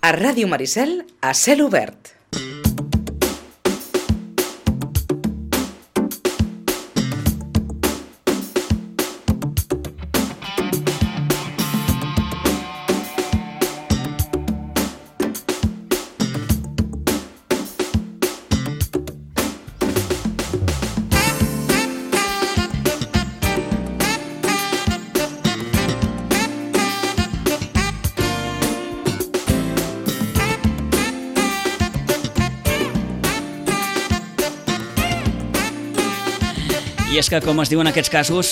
A Ràdio Maricel, a cel obert. I és que, com es diu en aquests casos,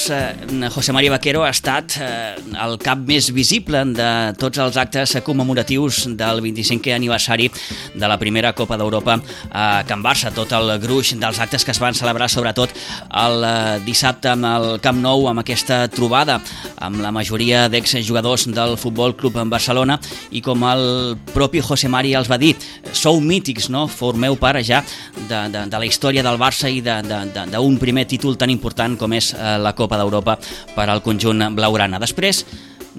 José María Vaquero ha estat el cap més visible de tots els actes commemoratius del 25è aniversari de la primera Copa d'Europa a Can Barça. Tot el gruix dels actes que es van celebrar, sobretot el dissabte amb el Camp Nou, amb aquesta trobada amb la majoria d'exjugadors del Futbol Club Barcelona, i com el propi José María els va dir, sou mítics, no? Formeu part ja de la història del Barça i d'un primer títol tan important com és la Copa d'Europa per al conjunt blaugrana. Després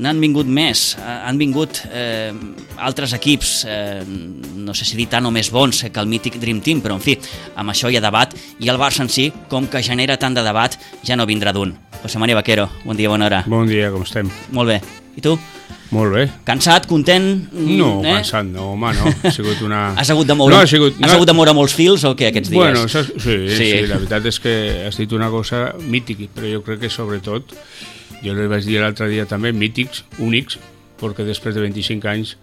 n'han vingut més, han vingut altres equips, no sé si dir tant o més bons que el mític Dream Team, però en fi, amb això hi ha debat, i el Barça en si, com que genera tant de debat, ja no vindrà d'un. José María Vaquero, bon dia, bona hora. Bon dia, com estem? Molt bé. I tu? Molt bé. Cansat, content? No, cansat no, home, no. Ha sigut una... Has hagut de moure, has hagut de moure molts fils o què aquests dies? Bueno, sí, la veritat és que has dit una cosa mítica, però jo crec que sobretot, jo li vaig dir l'altre dia també, mítics, únics, perquè després de 25 anys,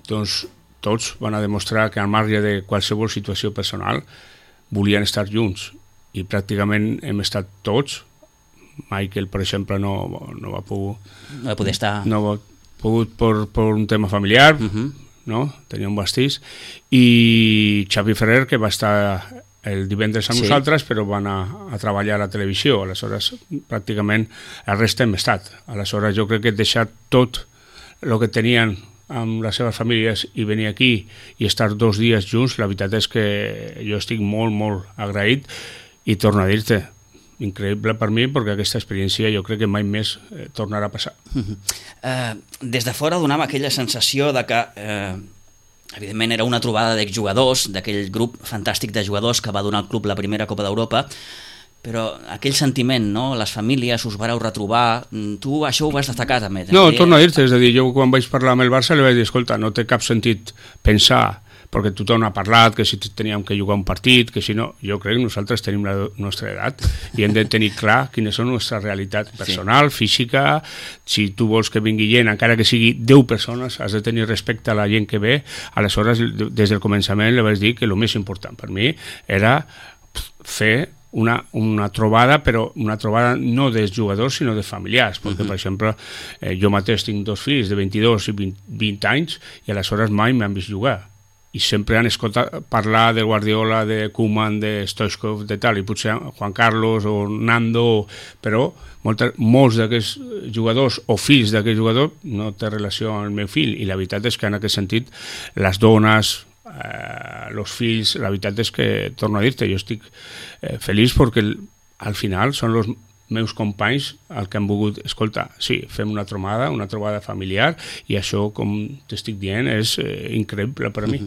doncs, tots van a demostrar que al marge de qualsevol situació personal volien estar junts, i pràcticament hem estat tots. Michael, per exemple, no va poder estar... No va pogut per un tema familiar, no? Tenia un pastís, i Xavi Ferrer, que va estar el divendres amb nosaltres, però van a treballar a la televisió. Aleshores, pràcticament el rest hem estat. Aleshores, jo crec que deixar tot el que tenien amb les seves famílies i venir aquí i estar 2 dies junts, la veritat és que jo estic molt, molt agraït, i torno a dir-te, increïble per mi, perquè aquesta experiència jo crec que mai més tornarà a passar. Des de fora donava aquella sensació de que evidentment era una trobada d'exjugadors, d'aquell grup fantàstic de jugadors que va donar al club la primera Copa d'Europa, però aquell sentiment, no? Les famílies us vareu retrobar, tu això ho vas destacar també. No, torno a dir-te, és a dir, jo quan vaig parlar amb el Barça li vaig dir, escolta, no té cap sentit pensar, perquè tothom ha parlat que si teníem que jugar un partit, que si no, jo crec que nosaltres tenim la nostra edat i hem de tenir clar quines són la nostra realitat personal, física. Si tu vols que vingui gent, encara que sigui 10 persones, has de tenir respecte a la gent que ve. Aleshores, des del començament li vaig dir que el més important per mi era fer una trobada, però una trobada no dels jugadors, sinó de familiars, perquè, per exemple, jo mateix tinc 2 fills de 22 i 20 anys, i aleshores mai m'han vist jugar. I sempre han escoltat parlar de Guardiola, de Koeman, de Stoichkov, de tal, i potser Juan Carlos o Nando, però molts d'aquests jugadors o fills d'aquest jugador no té relació amb el meu fill, i la veritat és que en aquest sentit les dones, els fills, la veritat és que, torno a dir-te, jo estic feliç perquè al final són els meus companys el que han volgut, escolta, sí, fem una trobada familiar, i això, com t'estic dient, és increïble per a mi.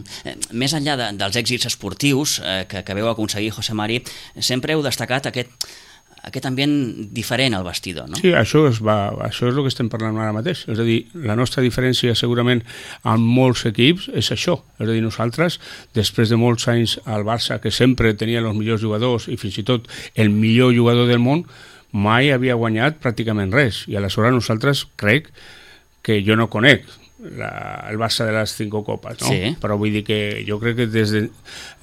Més enllà dels èxits esportius que veu aconseguir, José Mari, sempre heu destacat aquest ambient diferent al vestidor, no? Sí, això és el que estem parlant ara mateix. És a dir, la nostra diferència segurament amb molts equips és això. És a dir, nosaltres, després de molts anys al Barça, que sempre tenia els millors jugadors i fins i tot el millor jugador del món, mai havia guanyat pràcticament res, i aleshores nosaltres crec que jo no conec el Barça de les 5 copes, no? Sí. Però vull dir que jo crec que des de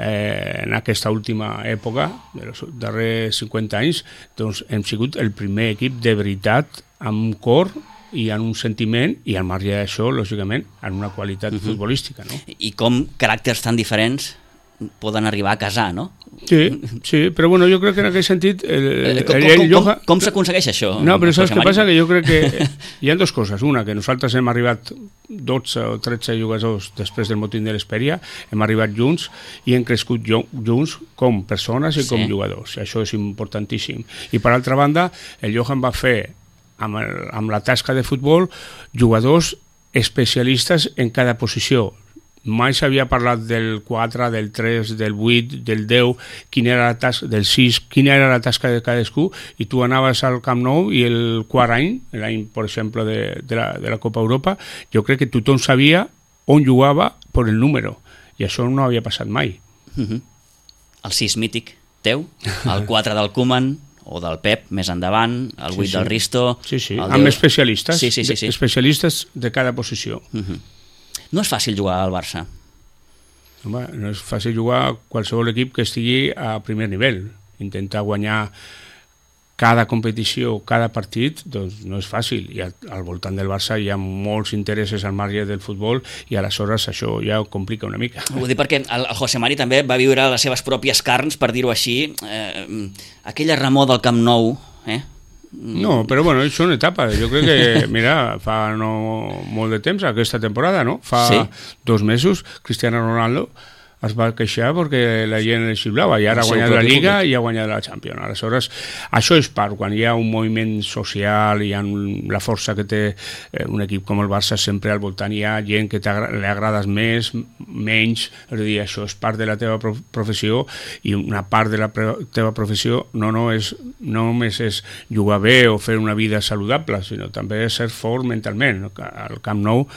en aquesta última època, dels darrers 50 anys, doncs hem sigut el primer equip de veritat amb cor i en un sentiment, i al marge d'això, lògicament, en una qualitat futbolística, no? I com caràcters tan diferents poden arribar a casar, no? Sí, però bueno, jo crec que en aquest sentit com s'aconsegueix això? No, però saps què passa? Que jo crec que hi ha 2 coses. Una, que nosaltres hem arribat 12 o 13 jugadors després del motín de l'Hesperia, hem arribat junts i hem crescut junts com persones i com jugadors. Això és importantíssim. I per altra banda, el Johan va fer amb la tasca de futbol jugadors especialistes en cada posició. mai s'havia parlat del 4, del 3, del 8, del 10, quina era la tasca, del 6, quina era la tasca de cadascú, i tu anaves al Camp Nou i el quart any, l'any, per exemple, de la Copa Europa, jo crec que tothom sabia on jugava per el número, i això no havia passat mai. El 6 mític teu, el 4 del Koeman, o del Pep més endavant, el 8 del Risto... Sí, amb especialistes, sí. especialistes de cada posició. No és fàcil jugar al Barça? Home, no és fàcil jugar a qualsevol equip que estigui a primer nivell. Intentar guanyar cada competició, cada partit, doncs no és fàcil. I al voltant del Barça hi ha molts interessos al marge del futbol i aleshores això ja ho complica una mica. Ho dic perquè el José Mari també va viure les seves pròpies carns, per dir-ho així, aquella remor del Camp Nou, No, però bueno, són etapes. Jo crec que, mira, fa no molt de temps, aquesta temporada, no? Fa 2 mesos, Cristiano Ronaldo es va queixar perquè la gent el xiulava i ara ha guanyat la Lliga i ha guanyat la Champions. Aleshores, això és part, quan hi ha un moviment social, hi ha la força que té un equip com el Barça, sempre al voltant hi ha gent que li agrades més, menys, és a dir, això és part de la teva professió i una part de la teva professió no només és jugar bé o fer una vida saludable, sinó també ser fort mentalment. Al Camp Nou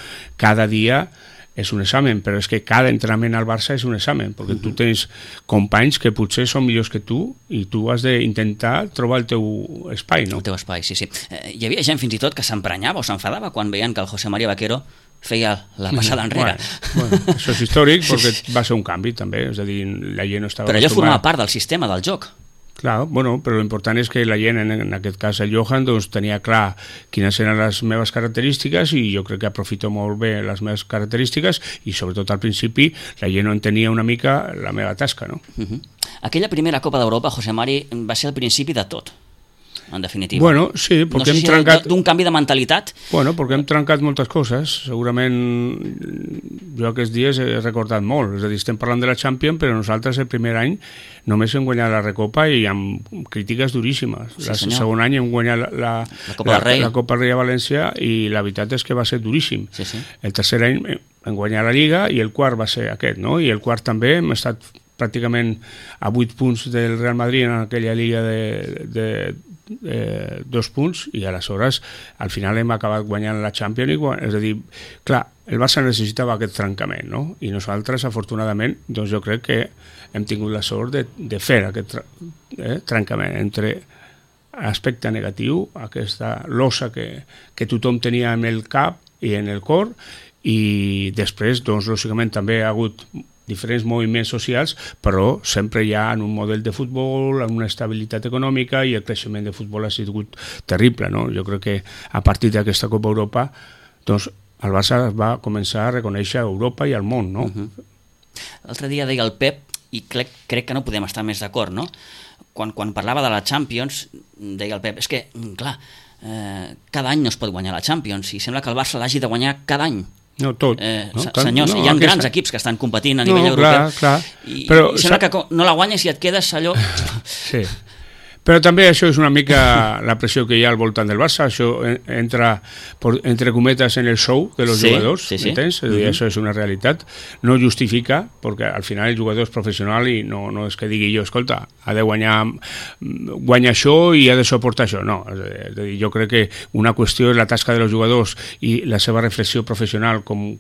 cada dia és un examen, però és que cada entrenament al Barça és un examen, perquè tu tens companys que potser són millors que tu i tu has d'intentar trobar el teu espai, no? El teu espai, sí. Hi havia gent fins i tot que s'emprenyava o s'enfadava quan veien que el José María Vaquero feia la passada enrere. Bueno, això és històric perquè va ser un canvi també, és a dir, la gent no estava... Però allò formava part del sistema, del joc. Clar, bueno, però l'important és que la gent, en aquest cas el Johan, doncs tenia clar quines eren les meves característiques i jo crec que aprofito molt bé les meves característiques i sobretot al principi la gent no entenia una mica la meva tasca, no? Aquella primera Copa d'Europa, José Mari, va ser el principi de tot, en definitiva. Bueno, sí, perquè hem trencat... d'un canvi de mentalitat? Bueno, perquè hem trencat moltes coses. Segurament jo aquests dies he recordat molt. És a dir, estem parlant de la Champions, però nosaltres el primer any només hem guanyat la Recopa i amb crítiques duríssimes. Sí, el segon any hem guanyat la Copa del Rei a València i la veritat és que va ser duríssim. Sí. El tercer any hem guanyat la Lliga i el quart va ser aquest, no? I el quart també hem estat pràcticament a 8 punts del Real Madrid en aquella Lliga de 2 punts i aleshores al final hem acabat guanyant la Champions, és a dir, clar, el Barça necessitava aquest trencament, no? I nosaltres afortunadament doncs jo crec que hem tingut la sort de fer aquest trencament entre aspecte negatiu, aquesta losa que tothom tenia en el cap i en el cor, i després doncs lògicament també ha hagut diferents moviments socials, però sempre hi ha en un model de futbol, en una estabilitat econòmica, i el creixement de futbol ha sigut terrible, no? Jo crec que a partir d'aquesta Copa Europa doncs el Barça va començar a reconèixer a Europa i al món, no? L'altre dia deia el Pep, i crec que no podem estar més d'acord, no? Quan parlava de la Champions, deia el Pep, és que, clar, cada any no es pot guanyar la Champions, i sembla que el Barça l'hagi de guanyar cada any. No, tot. Senyors, hi ha grans equips que estan competint a nivell europeu. Clar. I sembla que no la guanyes i et quedes allò... Sí. Però també això és una mica la pressió que hi ha al voltant del Barça, això entra, entre cometes, en el show de los jugadors, ¿entens? És a dir, això és una realitat, no justifica, perquè al final el jugador és professional i no és que digui jo, escolta, ha de guanyar això i ha de suportar això, no, és a dir, jo crec que una qüestió és la tasca dels jugadors i la seva reflexió professional com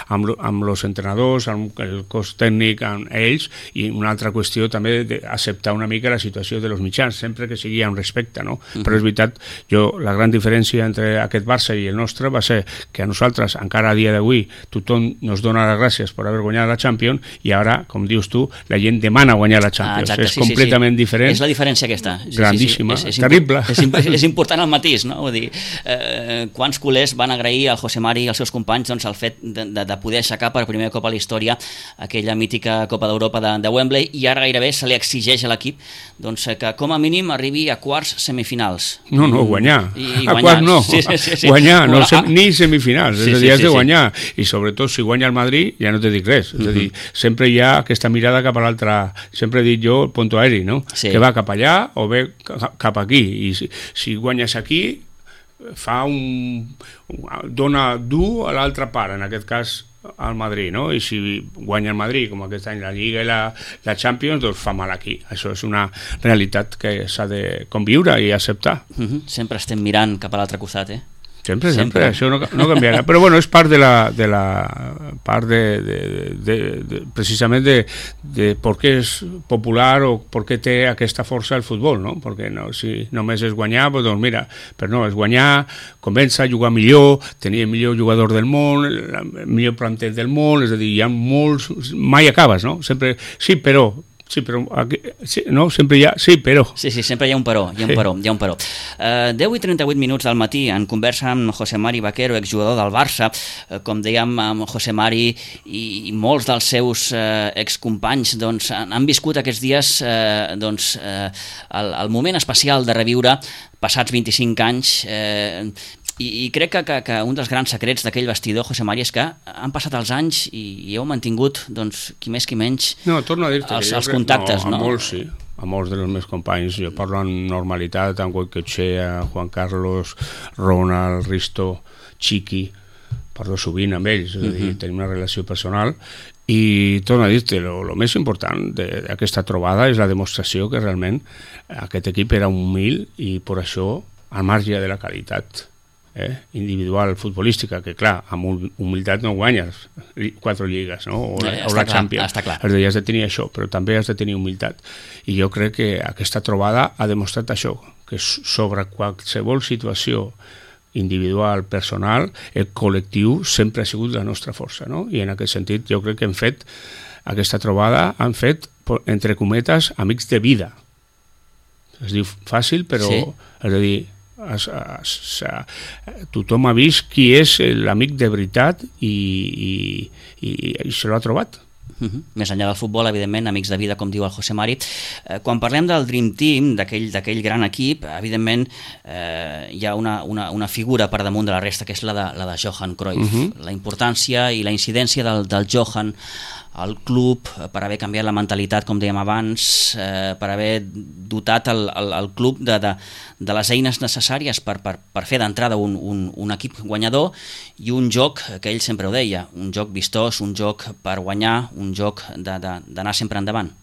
amb els entrenadors, amb el cos tècnic, amb ells, i una altra qüestió també d'acceptar una mica la situació dels mitjans, sempre que sigui amb respecte, no? Però és veritat, la gran diferència entre aquest Barça i el nostre va ser que a nosaltres, encara a dia d'avui, tothom ens dona les gràcies per haver guanyat la Champions i ara, com dius tu, la gent demana guanyar la Champions. Exacte, és completament diferent. És la diferència aquesta. Grandíssima, terrible. És important el matís, no? Vull dir, quants culers van agrair al José Mari i als seus companys el fet de poder aixecar per primer cop a la història aquella mítica Copa d'Europa de Wembley, i ara gairebé se li exigeix a l'equip que com a mínim arribi a quarts semifinals. No, guanyar. A quarts no. Guanyar, ni semifinals. És a dir, has de guanyar. I sobretot, si guanya el Madrid, ja no te dic res. És a dir, sempre hi ha aquesta mirada cap a l'altra. Sempre he dit jo, el punto aeri, no? Que va cap allà o ve cap aquí. I si guanyes aquí, dona dur a l'altra part, en aquest cas al Madrid, no? I si guanya el Madrid, com aquest any la Lliga i la Champions, doncs fa mal aquí. Això és una realitat que s'ha de conviure i acceptar. Sempre estem mirant cap a l'altre costat, Sempre, això no canviarà. Però bueno, és part de la part precisament de per què és popular o per què té aquesta força el futbol, no? Perquè no, si només és guanyar, doncs mira, però no, és guanyar, comença a jugar millor, tenir el millor jugador del món, el millor planter del món, és a dir, hi ha molts... Mai acabes, no? Sempre, sí, però... Sí, però... no, sempre hi ha... Sí, però... Sí, sempre hi ha un però, hi ha un però. 10:38 minuts del matí, en conversa amb José Mari Vaquero, exjugador del Barça. Com dèiem, amb José Mari i molts dels seus excompanys doncs, han viscut aquests dies el moment especial de reviure passats 25 anys i crec que un dels grans secrets d'aquell vestidor, José Mari, és que han passat els anys i heu mantingut, doncs, qui més qui menys, torno a dir-te els contactes. No, a molts sí, a molts dels meus companys. Jo parlo amb normalitat amb Goicoechea, Juan Carlos, Ronald, Risto, Chiqui, parlo sovint amb ells, és a dir, tenim una relació personal. I torno a dir-te, el més important d'aquesta trobada és la demostració que realment aquest equip era humil i per això, al marge de la qualitat individual futbolística, que clar, amb humilitat no guanyes 4 lligues, no? o la Champions. Has de tenir això, però també has de tenir humilitat. I jo crec que aquesta trobada ha demostrat això, que sobre qualsevol situació individual, personal, el col·lectiu sempre ha sigut la nostra força, no? I en aquest sentit jo crec que hem fet aquesta trobada, han fet, entre cometes, amics de vida. Es diu fàcil, però és a dir, tothom ha vist qui és l'amic de veritat i se l'ha trobat. Més enllà del futbol, evidentment, amics de vida, com diu el José Mari. Quan parlem del Dream Team, d'aquell gran equip, evidentment hi ha una figura per damunt de la resta, que és la de Johan Cruyff. La importància i la incidència del Johan al club, per haver canviat la mentalitat, com dèiem abans, per haver dotat el club de les eines necessàries per fer d'entrada un equip guanyador i un joc, que ell sempre ho deia, un joc vistós, un joc per guanyar, un joc d'anar sempre endavant.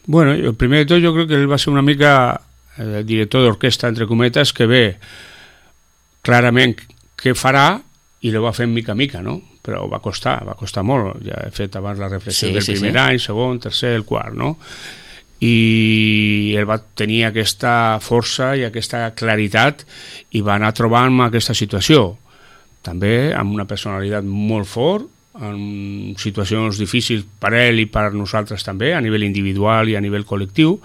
Bueno, primer de tot jo crec que ell va ser una mica el director d'orquestra, entre cometes, que ve clarament què farà i ho va fer mica a mica, no? Però va costar molt. Ja he fet abans la reflexió del primer any, segon, tercer, el quart, no? I ell va tenir aquesta força i aquesta claritat i va anar trobant aquesta situació. També amb una personalitat molt fort, en situacions difícils per ell i per nosaltres també, a nivell individual i a nivell col·lectiu,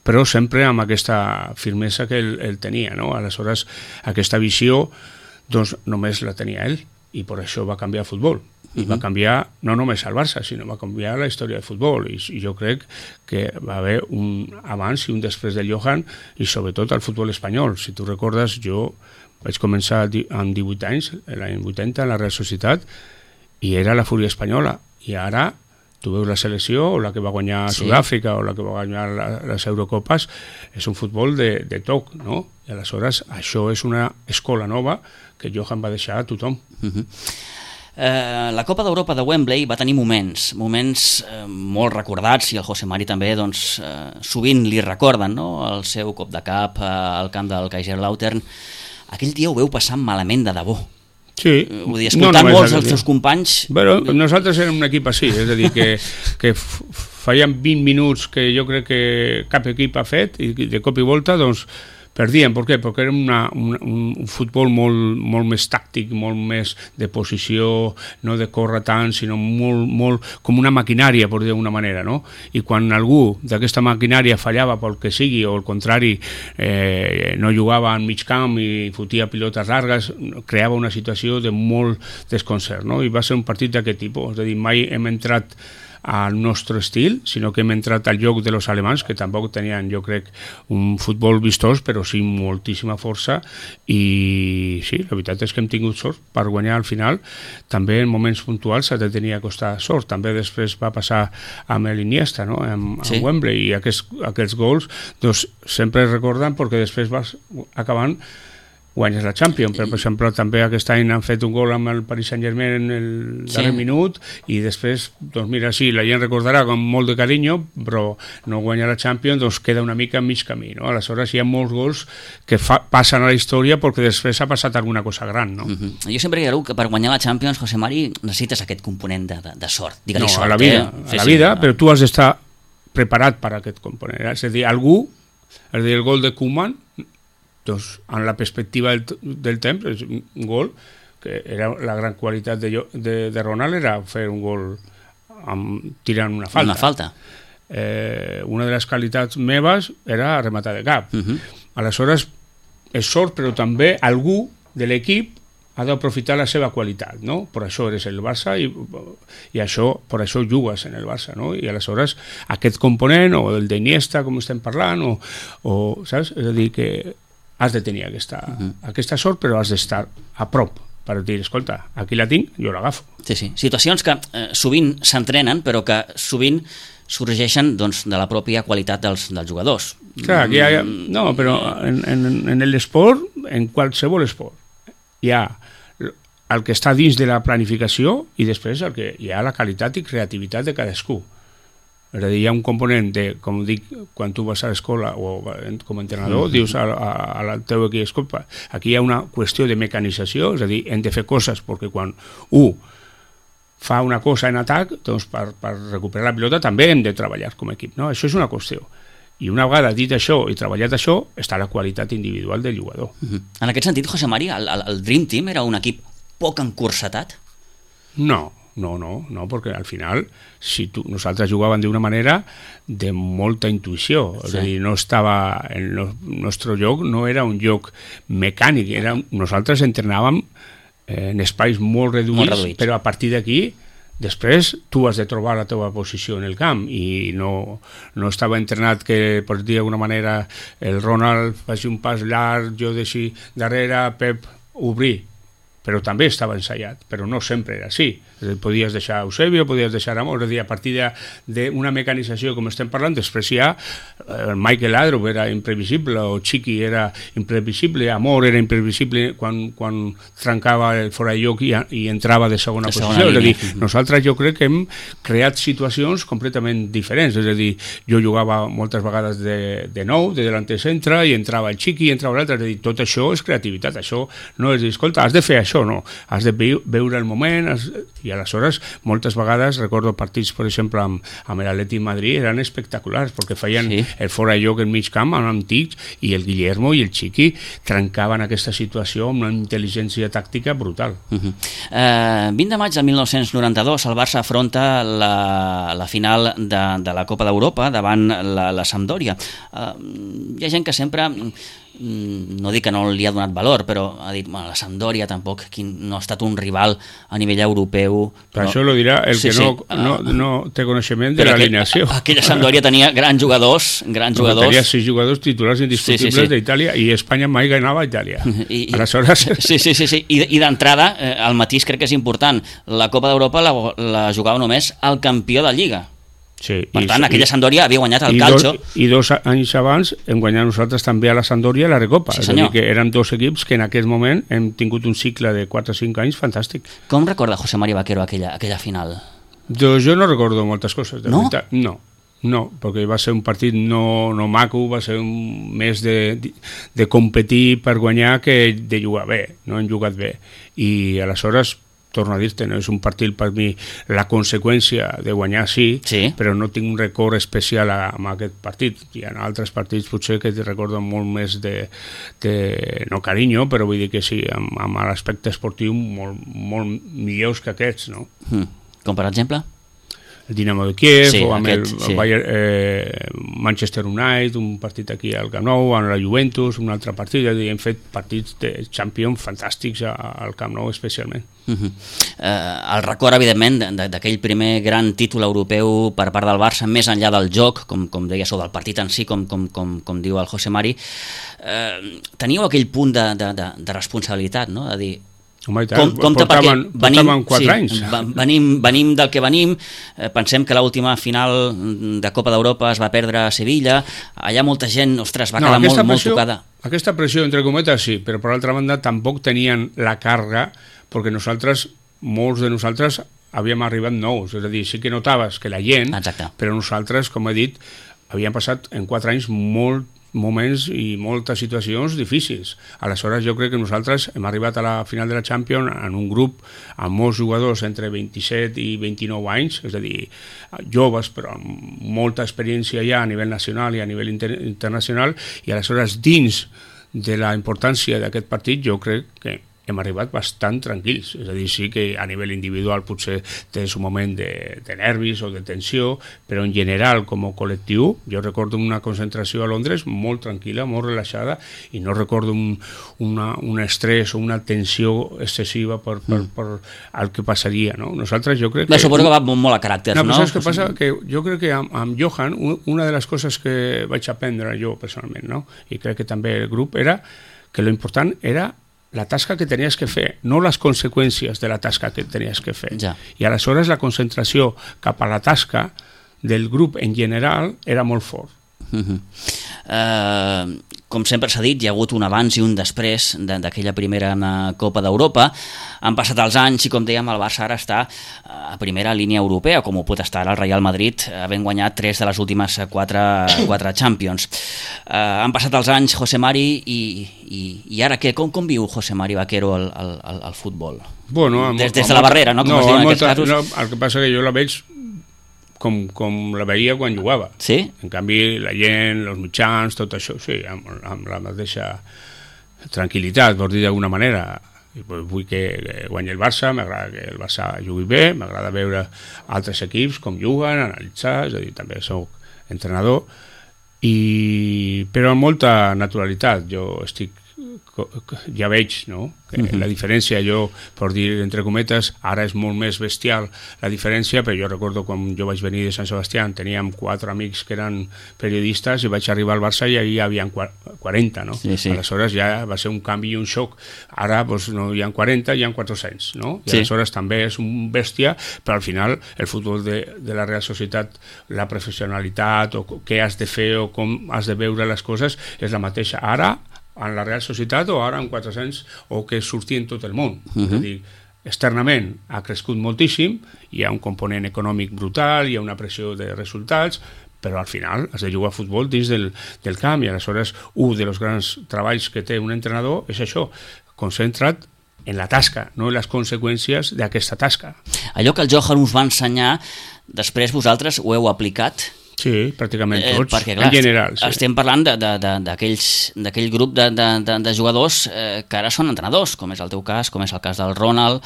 però sempre amb aquesta firmesa que ell tenia, no? Aleshores, aquesta visió doncs només la tenia ell i per això va canviar el futbol. I va canviar no només el Barça, sinó va canviar la història del futbol. I jo crec que va haver un abans i un després del Johan i sobretot el futbol espanyol. Si tu recordes, jo vaig començar amb 18 anys, l'any 80, en la Real Societat, i era la fúria espanyola. I ara tu veus la selecció, o la que va guanyar Sud-àfrica, o la que va guanyar les Eurocopes, és un futbol de toc, no? I aleshores això és una escola nova que Johan va deixar a tothom. La Copa d'Europa de Wembley va tenir moments molt recordats, i el José Mari també sovint li recorden, no? El seu cop de cap al camp del Kaiserslautern. Aquell dia ho veu passar malament de debò. Sí. Vull dir, escoltant molts dels seus companys... Bueno, nosaltres érem un equip així, és a dir, que feien 20 minuts que jo crec que cap equip ha fet, i de cop i volta, doncs, perdíem. Per què? Perquè era un futbol molt més tàctic, molt més de posició, no de córrer tant, sinó molt com una maquinària, per dir d'una manera, no? I quan algú d'aquesta maquinària fallava pel que sigui, o al contrari no jugava en mig camp i fotia pilotes largues, creava una situació de molt desconcert, no? I va ser un partit d'aquest tipus, és a dir, mai hem entrat al nostre estil, sinó que hem entrat al joc de los alemans, que tampoc tenien, jo crec, un futbol vistós, però sí moltíssima força, i sí, la veritat és que hem tingut sort per guanyar al final. També en moments puntuals s'ha de tenir a costar sort. També després va passar amb l'Iniesta, no? amb Wembley, i aquests gols doncs, sempre es recorden perquè després vas acabant guanyes la Champions, però per exemple també aquest any han fet un gol amb el Paris Saint-Germain en el darrer minut i després, doncs mira, sí, la gent recordarà amb molt de carinyo, però no guanya la Champions, doncs queda una mica a mig camí, no? Aleshores hi ha molts gols que passen a la història perquè després ha passat alguna cosa gran, no? Jo sempre dic que per guanyar la Champions, José Mari, necessites aquest component de sort. Digue-li no, sort, a la vida, però tu has d'estar preparat per a aquest component. És a dir, el gol de Koeman, doncs, en la perspectiva del temps, és un gol que era la gran qualitat de Ronald, era fer un gol tirant una falta. Una falta. Una de les qualitats meves era rematar de cap. Aleshores, és sort, però també algú de l'equip ha d'aprofitar la seva qualitat, no? Per això eres el Barça i per això jugues en el Barça, no? I aleshores aquest component, o el d'Iniesta, com estem parlant, o saps? És a dir, que has de tenir aquesta sort, però has d'estar a prop per dir, escolta, aquí la tinc, jo l'agafo. Sí. Situacions que sovint s'entrenen, però que sovint sorgeixen, doncs, de la pròpia qualitat dels jugadors. Clar, aquí no, però en l'esport, en qualsevol esport, hi ha el que està dins de la planificació i després el que hi ha la qualitat i creativitat de cadascú. És a dir, hi ha un component de, com dic, quan tu vas a l'escola o com a entrenador, dius al teu equip, escolta, aquí hi ha una qüestió de mecanització, és a dir, hem de fer coses perquè quan fa una cosa en atac, doncs per recuperar la pilota també hem de treballar com a equip, no? Això és una qüestió. I una vegada dit això i treballat això, està la qualitat individual del jugador. En aquest sentit, José Mari, el Dream Team era un equip poc encursetat? No, perquè al final nosaltres jugàvem d'una manera de molta intuïció, és a dir, no estava el nostre joc, no era un joc mecànic, nosaltres entrenàvem en espais molt reduïts, però a partir d'aquí després tu has de trobar la teva posició en el camp i no estava entrenat que, per dir d'alguna manera, el Ronald faci un pas llarg, jo deixi darrere, Pep obrir, però també estava ensaiat, però no sempre era així. Podies deixar Eusebio, podies deixar Amor, és a dir, a partir d'una mecanització com estem parlant, després hi ha Michael Laudrup era imprevisible, o Chiqui era imprevisible, Amor era imprevisible quan trencava el fora de lloc i entrava de segona posició. És a dir, nosaltres jo crec que hem creat situacions completament diferents, és a dir, jo jugava moltes vegades de nou, de delanter centre, i entrava el Chiqui, i entrava l'altre, és a dir, tot això és creativitat, això no és dir, escolta, has de fer això, no, has de veure el moment, i aleshores moltes vegades recordo partits, per exemple, amb l'Atlètic Madrid, eren espectaculars perquè feien el fora de lloc en mig camp amb tics, i el Guillermo i el Chiqui trencaven aquesta situació amb una intel·ligència tàctica brutal. 20 de maig de 1992 el Barça afronta la final de la Copa d'Europa davant la Sampdoria. Hi ha gent que sempre, no dic que no li ha donat valor, però ha dit, la Sampdoria tampoc no ha estat un rival a nivell europeu. Per això lo dirà el que no té coneixement de l'alineació. Aquella Sampdoria tenia grans jugadors. Tenia 6 jugadors titulars indiscutibles d'Itàlia, i Espanya mai ganava a Itàlia. Aleshores... Sí. I d'entrada, el matís crec que és important. La Copa d'Europa la jugava només el campió de Lliga. Sí, per tant, aquella Sampdoria havia guanyat el calcio. I 2 anys abans hem guanyat nosaltres també a la Sampdoria la Recopa. Sí, és a dir, que eren 2 equips que en aquest moment hem tingut un cicle de 4 o 5 anys fantàstic. Com recorda José María Vaquero aquella final? Doncs jo no recordo moltes coses, de no? veritat. No, perquè va ser un partit no maco, va ser més de competir per guanyar que de jugar bé, no hem jugat bé. I aleshores, torno a dir-te, no és un partit per mi la conseqüència de guanyar, sí, però no tinc un record especial amb aquest partit. Hi ha altres partits potser que recordo molt més de no carinyo, però vull dir que sí, amb l'aspecte esportiu molt millors que aquests, no? Com per exemple? El Dinamo de Kiev, o amb el Manchester United, un partit aquí al Camp Nou, amb la Juventus, un altre partit, hem fet partits de Champions fantàstics al Camp Nou especialment. El record, evidentment, d'aquell primer gran títol europeu per part del Barça, més enllà del joc, com deia, o del partit en si, com diu el José Mari, teníeu aquell punt de responsabilitat, no? De dir, Home, portaven 4 anys. Venim del que venim, pensem que l'última final de Copa d'Europa es va perdre a Sevilla, allà molta gent, ostres, va quedar molt tocada. Aquesta pressió, entre cometes, sí, però per altra banda tampoc tenien la càrrega, perquè molts de nosaltres havíem arribat nous, és a dir, sí que notaves que la gent, però nosaltres, com he dit, havíem passat en 4 anys moments i moltes situacions difícils. Aleshores jo crec que nosaltres hem arribat a la final de la Champions en un grup amb molts jugadors entre 27 i 29 anys, és a dir, joves però amb molta experiència ja a nivell nacional i a nivell internacional, i aleshores dins de la importància d'aquest partit jo crec que hem arribat bastant tranquils, és a dir, sí que a nivell individual potser tens un moment de nervis o de tensió, però en general com a col·lectiu jo recordo una concentració a Londres molt tranquil·la, molt relaxada, i no recordo un estrès o una tensió excessiva per el que passaria, no? Nosaltres jo crec que... Suposo que va molt a caràcter, no? No, però saps què passa? Que jo crec que amb Johan una de les coses que vaig aprendre jo personalment, no? I crec que també el grup, era que lo important era la tasca que tenies que fer, no les conseqüències de la tasca que tenies que fer. Ja. I aleshores la concentració cap a la tasca del grup en general era molt fort. Com sempre s'ha dit, hi ha hagut un abans i un després d'aquella primera Copa d'Europa. Han passat els anys i, com dèiem, el Barça ara està a primera línia europea, com ho pot estar el Real Madrid, havent guanyat 3 de les últimes 4 Champions. Han passat els anys, José Mari, i ara què? Com viu José Mari Vaquero el futbol? Bueno, des de la barrera, no? Com es diuen aquests casos. No, el que passa que jo la veig com la veia quan jugava. Sí? En canvi, la gent, els mitjans, tot això, sí, amb la mateixa tranquil·litat, vols dir d'alguna manera. Vull que guanyi el Barça, m'agrada que el Barça jugui bé, m'agrada veure altres equips com juguen, analitzar, és a dir, també soc entrenador, però amb molta naturalitat. Jo ja veig, no?, que la diferència, jo, per dir entre cometes, ara és molt més bestial la diferència, però jo recordo quan jo vaig venir de Sant Sebastià, teníem 4 amics que eren periodistes i vaig arribar al Barça i allà hi havia 40, no? Sí. Aleshores ja va ser un canvi i un xoc. Ara no hi ha 40, hi ha 400, no? I aleshores també és un bèstia, però al final el futbol de la Real Societat, la professionalitat o què has de fer o com has de veure les coses és la mateixa ara en la Real Societat o ara en 400 o que surti en tot el món. És a dir, externament ha crescut moltíssim, hi ha un component econòmic brutal, hi ha una pressió de resultats, però al final has de jugar a futbol dins del camp, i aleshores un dels grans treballs que té un entrenador és això, concentra't en la tasca, no en les conseqüències d'aquesta tasca. Allò que el Johan us va ensenyar, després vosaltres ho heu aplicat? Sí, pràcticament tots, perquè, clar, en general. Sí. Estem parlant d'aquell grup de jugadors que ara són entrenadors, com és el teu cas, com és el cas del Ronald,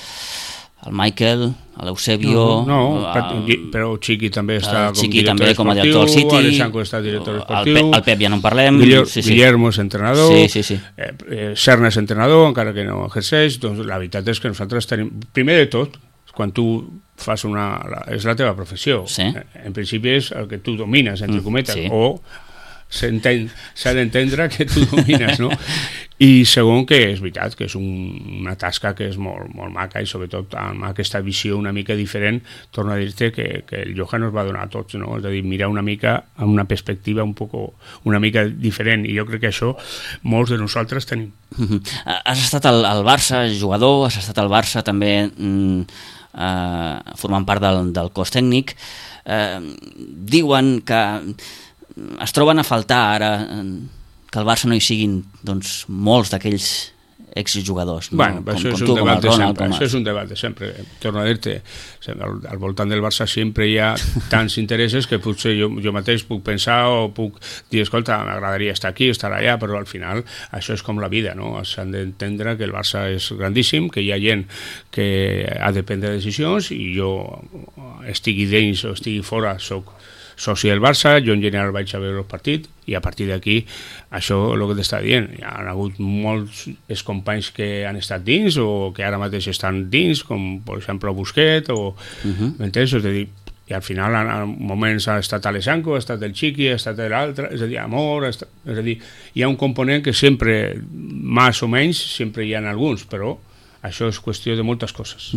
el Michael, l'Eusebio... Però Chiqui també està com director esportiu, director del City, Alexandre està director esportiu, el Pep ja no en parlem... Guillermo és entrenador, sí. Serna és entrenador, encara que no exerceix. Doncs la veritat és que nosaltres tenim... Primer de tot, quan tu fas és la teva professió. Sí. En principi és el que tu domines, entre cometes, o s'ha d'entendre que tu domines, no? I segon, que és veritat que és una tasca que és molt, molt maca, i sobretot amb aquesta visió una mica diferent, torno a dir-te que el Johan nos va donar a tots, no? És a dir, mirar una mica amb una perspectiva una mica diferent, i jo crec que això molts de nosaltres tenim. Has estat al Barça jugador, has estat al Barça també formant part del cos tècnic. Diuen que es troben a faltar ara que al Barça no hi siguin doncs, molts d'aquells exjugadors, no? Bueno, això és un debat de sempre. Això és un debat de sempre. Torno a dir-te, al voltant del Barça sempre hi ha tants interessos que potser jo mateix puc pensar o puc dir, escolta, m'agradaria estar aquí, estar allà, però al final això és com la vida, no? S'han d'entendre que el Barça és grandíssim, que hi ha gent que ha de prendre decisions, i jo estigui dins o estigui fora, soc soci del Barça, jo en general vaig a veure el partit, i a partir d'aquí això és el que t'està dient. Hi ha hagut molts companys que han estat dins o que ara mateix estan dins, com per exemple Busquets o m'entens? És a dir, i al final en moments ha estat Alessandro, ha estat el Chiqui, ha estat l'altre, és a dir, Amor, és a dir, hi ha un component que sempre, més o menys, sempre hi ha alguns, però això és qüestió de moltes coses,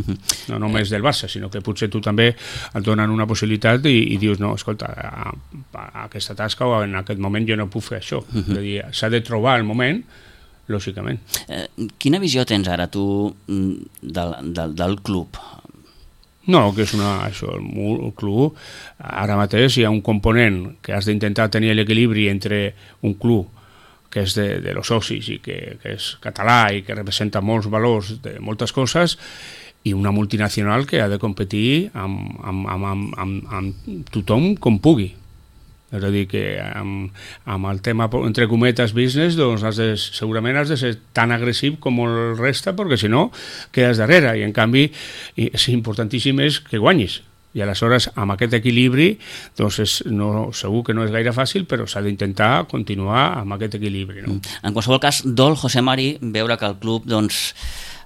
no només del Barça, sinó que potser tu també et donen una possibilitat i dius, no, escolta, a aquesta tasca o en aquest moment jo no puc fer això. És a dir, s'ha de trobar el moment, lògicament. Quina visió tens ara tu del club? No, que és això, el club, ara mateix hi ha un component que has d'intentar tenir l'equilibri entre un club que és de los socis i que és català i que representa molts valors de moltes coses, i una multinacional que ha de competir amb tothom com pugui. És a dir, que amb el tema, entre cometes, business, doncs segurament has de ser tan agressiu com el resta, perquè si no, quedes darrere. I en canvi, és importantíssim és que guanyis. I aleshores, amb aquest equilibri, doncs segur que no és gaire fàcil, però s'ha d'intentar continuar amb aquest equilibri. No? En qualsevol cas, dol, José Mari, veure que el club doncs,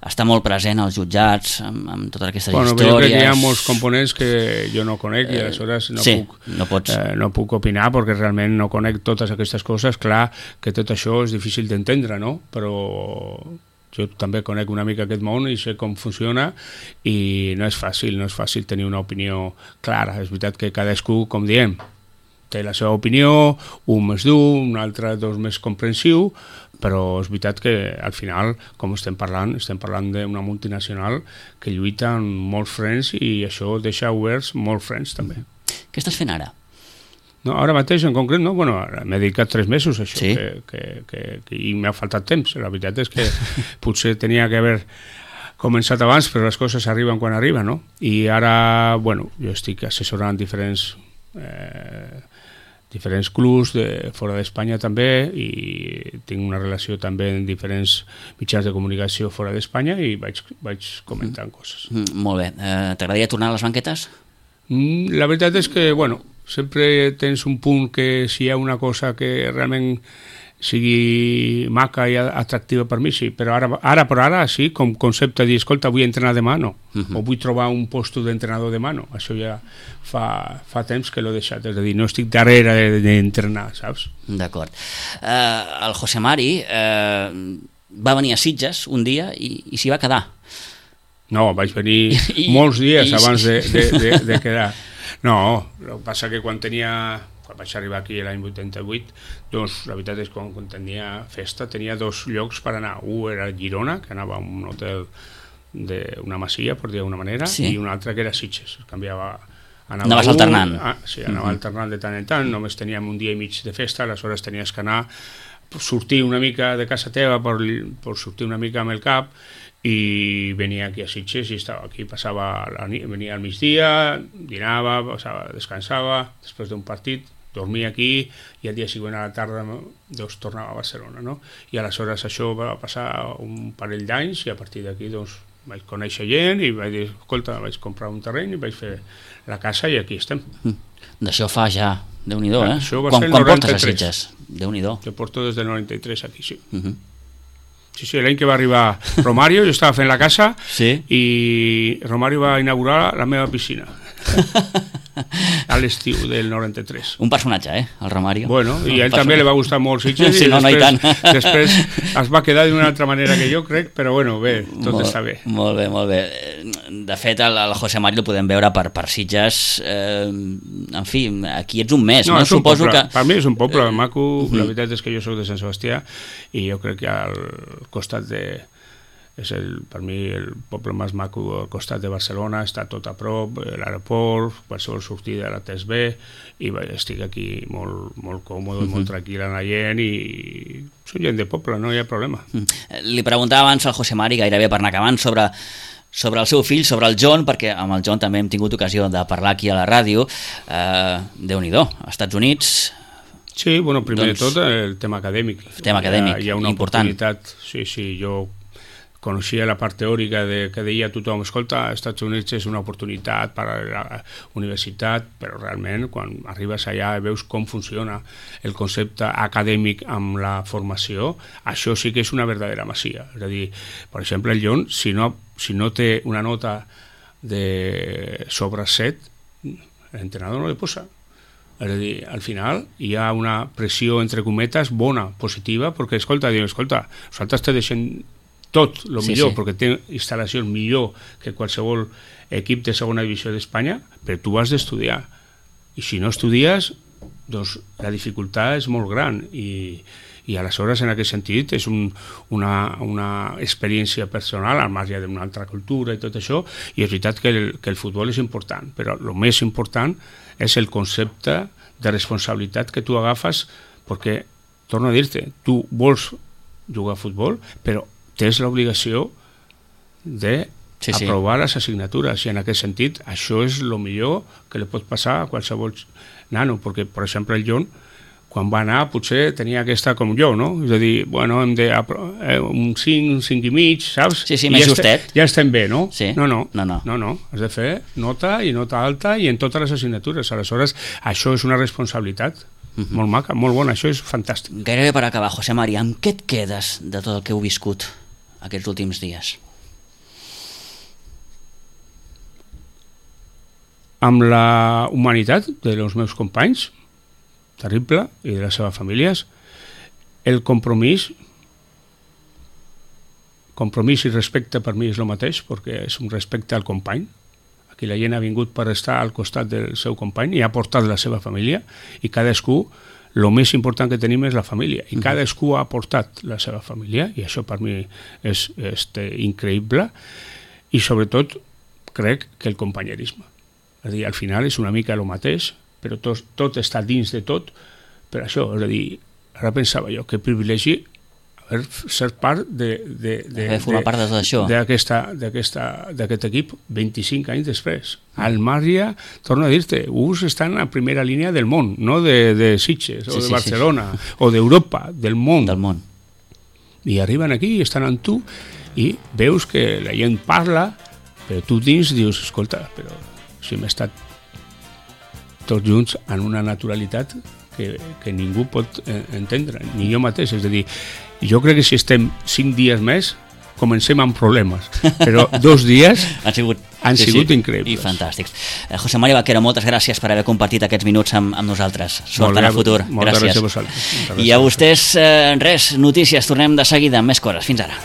està molt present als jutjats, amb totes aquestes històries. Jo crec que hi ha molts components que jo no conec i aleshores no puc opinar perquè realment no conec totes aquestes coses. Clar que tot això és difícil d'entendre, no? Però jo també conec una mica aquest món i sé com funciona i no és fàcil tenir una opinió clara. És veritat que cadascú, com diem, té la seva opinió, un més dur, un altre més comprensiu, però és veritat que al final, com estem parlant d'una multinacional que lluita amb molts frens i això deixa oberts molts frens també. Què estàs fent ara? No, ara mateix en concret no, bueno, m'he dedicat 3 mesos a això, sí? i m'ha faltat temps. La veritat és que potser tenia que haver començat abans, però les coses arriben quan arriben, no? I ara, bueno, jo estic assessorant diferents clubs fora d'Espanya també i tinc una relació també en diferents mitjans de comunicació fora d'Espanya i vaig comentant coses. Molt bé. T'agradaria tornar a les banquetes? La veritat és que, bueno, sempre tens un punt que si hi ha una cosa que realment sigui maca i atractiva per mi, sí, però ara sí, com concepte de dir, escolta, vull entrenar demà, no, o vull trobar un lloc d'entrenador demà, no, això ja fa temps que l'he deixat, és a dir, no estic darrere d'entrenar, saps? D'acord. El José Mari va venir a Sitges un dia i s'hi va quedar. No, vaig venir molts dies abans de quedar. No, el que passa que quan vaig arribar aquí l'any 88, doncs la veritat és que quan tenia festa tenia 2 llocs per anar. Un era Girona, que anava a un hotel d'una masia, per dir d'una manera, sí. I un altre que era Sitges. Anaves alternant. Sí, anava alternant de tant en tant, només teníem un dia i mig de festa, aleshores tenies que anar, sortir una mica de casa teva per sortir una mica amb el cap, i venia aquí a Sitges i estava aquí, venia al migdia, dinava, descansava, després d'un partit, dormia aquí i el dia següent a la tarda doncs, tornava a Barcelona, no? I aleshores això va passar un parell d'anys i a partir d'aquí doncs, vaig conèixer gent i vaig dir, escolta, vaig comprar un terreny i vaig fer la casa i aquí estem. D'això fa ja, Déu-n'hi-do, eh? Això va ser el 93. Quan portes a Sitges? Déu-n'hi-do. Jo porto des del 93 aquí, sí. Sí, l'any que va arribar Romario, jo estava fent la casa, sí? I Romario va inaugurar la meva piscina a l'estiu del 93. Un personatge, el Romario. Bueno, i a ell també li va gustar molt Sitges sí, i després es va quedar d'una altra manera que jo crec, però bueno, bé, tot està bé. Molt bé, molt bé. De fet, el José Mari el podem veure per Sitges, en fi, aquí ets un mes, no? Suposo que... Per mi és un poble maco, la veritat és que jo soc de Sant Sebastià i jo crec que al costat és per mi el poble més maco al costat de Barcelona, està tot a prop, l'aeroport, qualsevol sortida la tens bé i estic aquí molt, molt còmode, molt tranquil anar gent i soc gent de poble, no hi ha problema. Li preguntava abans al José Mari, gairebé per anar acabant, sobre el seu fill, sobre el John, perquè amb el John també hem tingut ocasió de parlar aquí a la ràdio. Déu-n'hi-do, als Estats Units... Sí, bueno, primer de tot el tema acadèmic. Tema acadèmic, hi ha una important. Oportunitat, sí, jo coneixia la part teòrica que deia tothom, escolta, als Estats Units és una oportunitat per a la universitat, però realment quan arribes allà i veus com funciona el concepte acadèmic amb la formació, això sí que és una verdadera masia. És a dir, per exemple, el John, si no té una nota de sobre 7, l'entrenador no li posa. És a dir, al final hi ha una pressió, entre cometes, bona, positiva, perquè, escolta, nosaltres te deixem tot el millor, sí. perquè té instal·lacions millor que qualsevol equip de segona divisió d'Espanya, però tu has d'estudiar. I si no estudies, doncs la dificultat és molt gran i aleshores en aquest sentit és una experiència personal al marge d'una altra cultura i tot això, i és veritat que el futbol és important, però el més important és el concepte de responsabilitat que tu agafes, perquè, torno a dir-te, tu vols jugar a futbol, però tens l'obligació d'aprovar les assignatures, i en aquest sentit això és el millor que li pot passar a qualsevol nano, perquè, per exemple, el John, quan va anar, potser tenia aquesta com jo, no? És a dir, bueno, hem de un 5, un 5 i mig, saps? Sí, més justet. Ja estem bé, no? Sí. No. Has de fer nota i nota alta i en totes les assignatures. Aleshores, això és una responsabilitat molt maca, molt bona, això és fantàstic. Gairebé per acabar, José Mari, amb què et quedes de tot el que heu viscut aquests últims dies? Amb la humanitat dels meus companys, terrible, i de les seves famílies, el compromís i respecte per mi és el mateix, perquè és un respecte al company. Aquí la gent ha vingut per estar al costat del seu company i ha portat la seva família, i cadascú, el més important que tenim és la família, i cadascú ha portat la seva família, i això per mi és increïble, i sobretot crec que el companyerisme. És a dir, al final és una mica el mateix, però tot està dins de tot, per això, és a dir, ara pensava jo, que privilegi ser part formar part de tot això, d'aquest equip 25 anys després. Al Mària, torno a dir-te, uns estan a primera línia del món, no de Sitges, o de Barcelona, o d'Europa, del món. I arriben aquí i estan amb tu, i veus que la gent parla, però tu dins dius, escolta, però si hem estat tots junts en una naturalitat que ningú pot entendre, ni jo mateix. És a dir, jo crec que si estem 5 dies més, comencem amb problemes, però 2 dies han sigut increïbles. I fantàstics. José Mari Vaquero, moltes gràcies per haver compartit aquests minuts amb nosaltres. Sort en el futur. Moltes gràcies a vosaltres. I a vostès, res, notícies, tornem de seguida amb més coses. Fins ara.